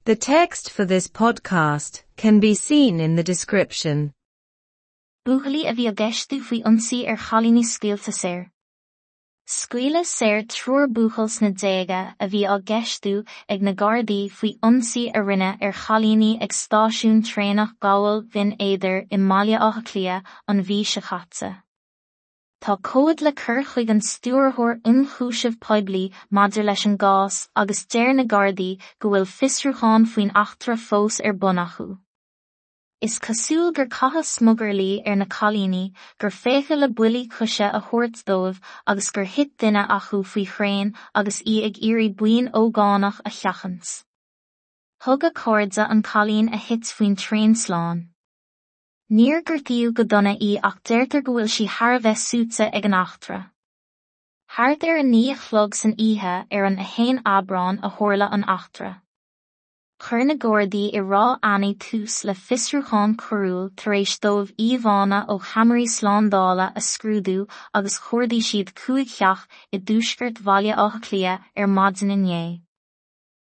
The text for this podcast can be seen in the description. Buachaillí a bhí á gceistiú faoi ionsaí ar chailíní scaoilte saor. Scaoileadh saor triúr buachaill sna déaga a bhí á gceistiú ag na Gardaí faoi ionsaí a rinneadh ar chailíní ag stáisiún traenach Ghabhal Bhinn Éadair i mBaile Átha Cliath an mhí seo caite. Tá comhad le cur chuig an Stiúrthóir Ionchúiseamh Poiblí maidir leis an gcás agus deir na Gardaí go bhfuil fiosrúchán faoin eachtra fós ar bun acu. Is cosúil gur caitheadh smugairlí ar na cailíní, gur féachadh le buillí coise a thabhairt dóibh agus gur thit duine acu faoi thraein agus í ag iarraidh buíon ógánach a sheachaint. Thug a cairde an cailín a thit faoin traein slán. Níor gortaíodh go dona í ach deirtear go bhfuil sí thar a bheith suaite ag an eachtra. Thart ar 9 a chlog san oíche ar an 1 Aibreán a tharla an eachtra. Chuir na Gardaí i Ráth Eanaigh tús le fiosrúchán coiriúil tar éis dóibh íomhánna ó cheamaraí slándála a scrúdú agus chuardaigh siad cúig theach i dtuaisceart Bhaile Átha Cliath ar maidin inné.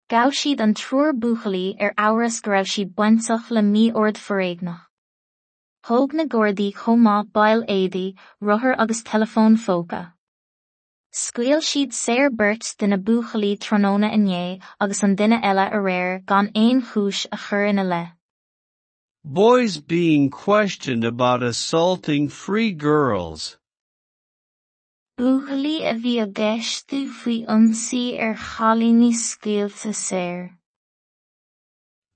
Ghabh siad an triúr buachaillí ar amhras go raibh siad bainteach le mí-ord foréigneach. Thóg na Gardaí chomh maith baill éadaí, rothar agus teileafóin phóca. Scaoil siad saor beirt de na buachaillí tráthnóna inné agus an duine eile aréir gan aon chúis a chur ina leith. Boys being questioned about assaulting three girls. Buachaillí a bhí á gceistiú faoi ionsaí ar chailíní scaoilte saor.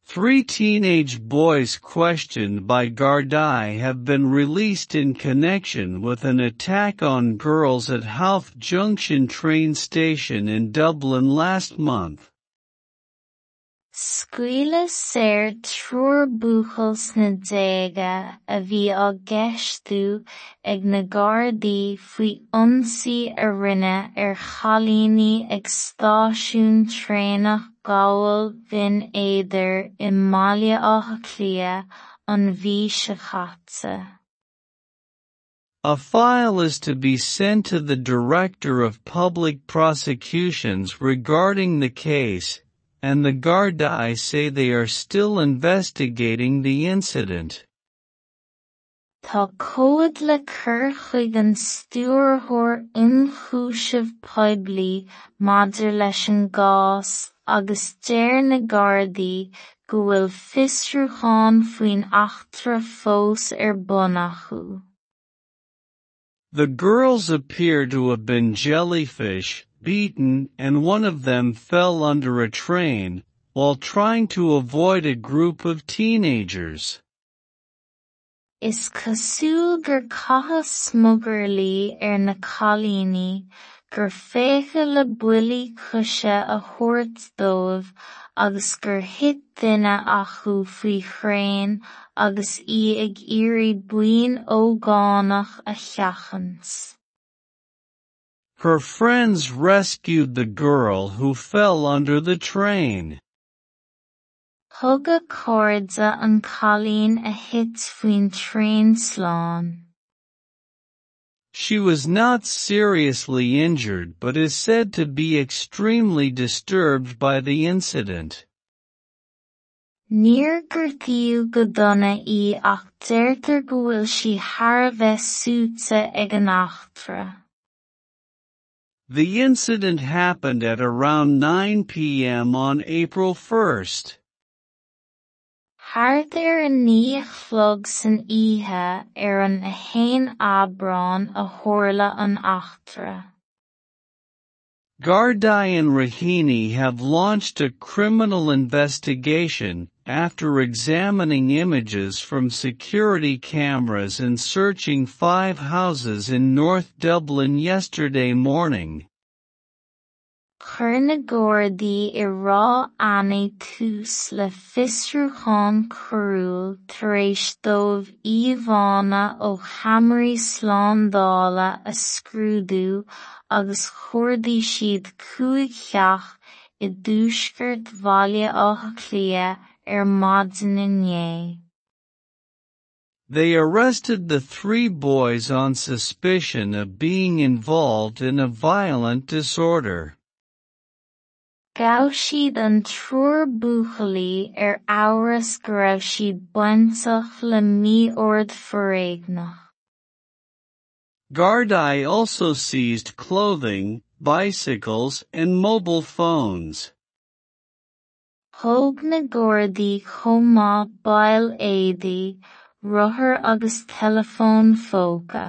Three teenage boys questioned by Gardaí have been released in connection with an attack on girls at Howth Junction train station in Dublin last month. Scaoileadh saor triúr buachaill sna déaga a bhí á gceistiú ag na Gardaí faoi ionsaí a rinneadh ar chailíní ag stáisiún traenach Ghabhal Bhinn Éadair i mBaile Átha Cliath an mhí seo caite. A file is to be sent to the Director of Public Prosecutions regarding the case, and the Gardaí say they are still investigating the incident. Tá comhad le cur chuig an Stiúrthóir Ionchúiseamh Poiblí maidir leis an gcás agus deir na Gardaí go bhfuil fiosrúchán faoin eachtra fós ar bun acu. The girls appear to have been jellyfish, beaten, and one of them fell under a train, while trying to avoid a group of teenagers. Is cosúil gur caitheadh smugairlí ar na cailíní, gur féachadh le buillí coise a thabhairt dóibh agus gur thit duine acu faoi thraein agus í ag iarraidh buíon ógánach a sheachaint. Her friends rescued the girl who fell under the train. Thug a cairde an cailín a thit faoin traein slán. She was not seriously injured but is said to be extremely disturbed by the incident. Níor gortaíodh go dona í ach deirtear go bhfuil sí thar a bheith suaite ag an eachtra. The incident happened at around 9 p.m. on April 1st. Thart ar a 9 a chlog san oíche ar an 1 Aibreán a tharla an eachtra. Gardaí and Raheny have launched a criminal investigation after examining images from security cameras and searching five houses in North Dublin yesterday morning. Chuir na Gardaí i Ráth Eanaigh tús le fiosrúchán coiriúil tar éis dóibh íomhánna ó cheamaraí slándála a scrúdú agus chuardaigh siad cúig theach i dtuaisceart Bhaile Átha Cliath ar maidin inné. They arrested the three boys on suspicion of being involved in a violent disorder. Ghabh siad an triúr buachaillí ar amhras go raibh siad bainteach le mí-ord foréigneach. Gardaí also seized clothing, bicycles and mobile phones. Thóg na Gardaí chomh maith baill éadaí, rothair agus teileafóin phóca.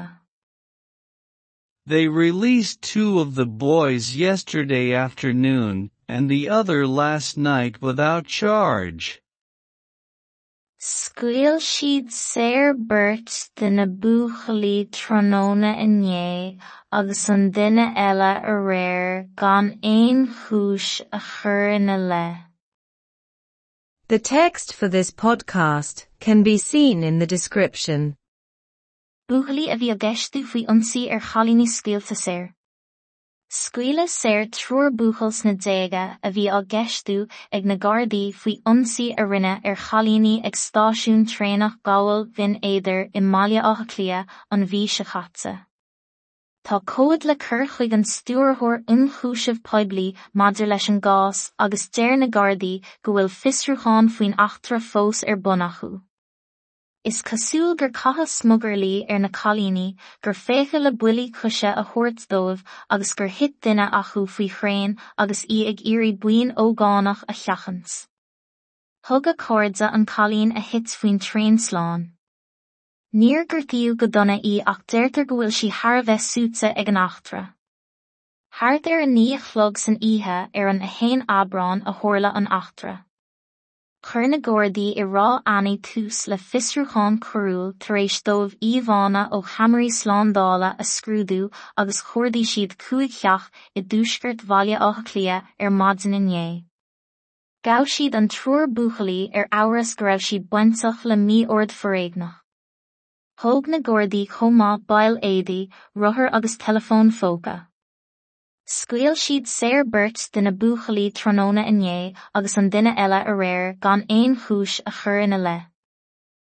They released two of the boys yesterday afternoon, and the other last night without charge. Scaoil siad saor beirt de na buachaillí tráthnóna inné agus an duine eile aréir gan aon chúis a chur ina leith. The text for this podcast can be seen in the description. Buachaillí a bhí á gceistiú faoi ionsaí ar chailíní scaoilte saor. Scaoileadh saor triúr buachaill sna déaga a bhí á gceistiú ag na Gardaí faoi ionsaí a rinneadh ar chailíní ag stáisiún traenach Ghabhal Bhinn Éadair i mBaile Átha Cliath an mhí seo caite. Tá comhad le cur chuig an Stiúrthóir Ionchúiseamh Poiblí maidir leis an gcás agus deir na Gardaí go bhfuil fiosrúchán faoin eachtra fós ar bun acu. Is cosúil gur caitheadh smugairlí ar na cailíní, gur féachadh le buillí coise a thabhairt dóibh agus gur thit duine acu faoi thraein agus í ag iarraidh buíon ógánach a sheachaint. Thug a cairde an cailín a thit faoin traein slán. Níor gortaíodh go dona í ach deirtear go bhfuil sí thar a bheith suaite ag an eachtra. Thart ar 9 a chlog san oíche ar an 1 Aibreán a tharla an eachtra. Chuir na Gardaí i Ráth Eanaigh tús le fiosrúchán coiriúil tar éis dóibh íomhánna ó cheamaraí slándála a scrúdú agus chuardaigh siad cúig theach i dtuaisceart Bhaile Átha Cliath ar maidin inné. Ghabh siad an triúr buachaillí ar amhras go raibh siad bainteach le mí-ord foréigneach. Thóg na Gardaí chomh maith baill éadaí, rothair agus teileafóin phóca. Scaoil siad saor beirt de na buachaillí tráthnóna inné agus an duine eile aréir gan aon chúis a chur ina leith.